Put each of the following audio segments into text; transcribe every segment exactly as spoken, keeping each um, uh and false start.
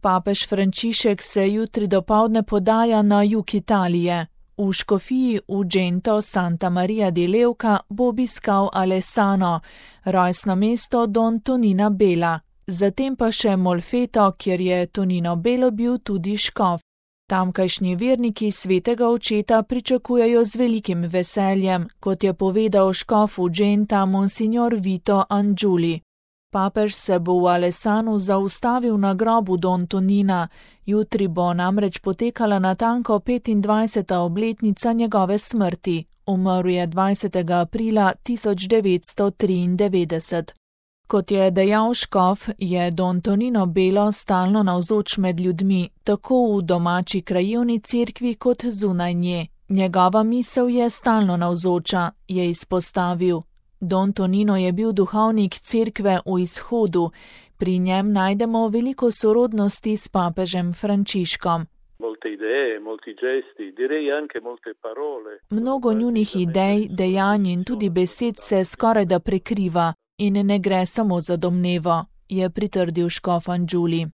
Papež Frančišek se jutri dopoldne podaja na jug Italije. V škofiji Ugento Santa Maria di Leuca bo obiskal Alessano, rojstno mesto Don Tonina Bela, zatem pa še Molfeto, kjer je Tonino Belo bil tudi škof. Tamkajšnji verniki svetega očeta pričakujejo z velikim veseljem, kot je povedal škof Ugenta Monsignor Vito Angiuli. Papež se bo v Alessanu zaustavil na grobu Don Tonina, jutri bo namreč potekala natanko petindvajseta obletnica njegove smrti, umrl je dvajsetega aprila tisoč devetsto triindevetdeset. Kot je dejal škof, je Don Tonino Belo stalno navzoč med ljudmi, tako v domači krajevni cerkvi kot zunaj nje. Njegova misel je stalno navzoča, je izpostavil. Don Tonino je bil duhovnik cerkve v izhodu, pri njem najdemo veliko sorodnosti s papežem Frančiškom. Mnogo njunih idej, dejanj in tudi besed se skorajda prekriva in ne gre samo za domnevo, je pritrdil škof Angiuli.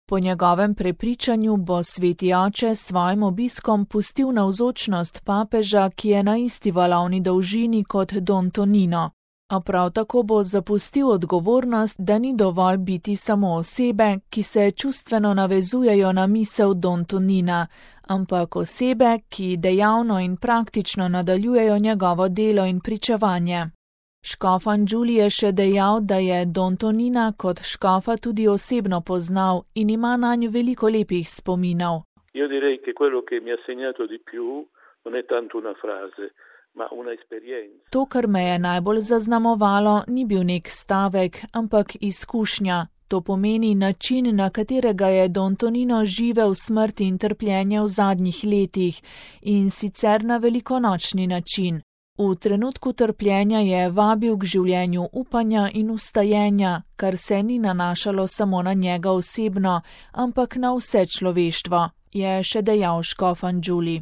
Po njegovem prepričanju bo sveti oče s svojim obiskom pustil navzočnost papeža, ki je na isti valovni dolžini kot Don Tonino. A prav tako bo zapustil odgovornost, da ni dovolj biti samo osebe, ki se čustveno navezujejo na misel Don Tonina, ampak osebe, ki dejavno in praktično nadaljujejo njegovo delo in pričevanje. Škof Angiuli je še dejal, da je Don Tonina kot škofa tudi osebno poznal in ima nanj veliko lepih spominov. Io direi che quello che mi ha segnato di più non è tanto una frase, ma una esperienza. To, kar me je najbolj zaznamovalo, ni bil nek stavek, ampak izkušnja. To pomeni način, na katerega je Don Tonino živel smrt in trpljenje v zadnjih letih, in sicer na velikonočni način. V trenutku trpljenja je vabil k življenju upanja in vstajenja, kar se ni nanašalo samo na njega osebno, ampak na vse človeštvo, je še dejal škof Angiuli.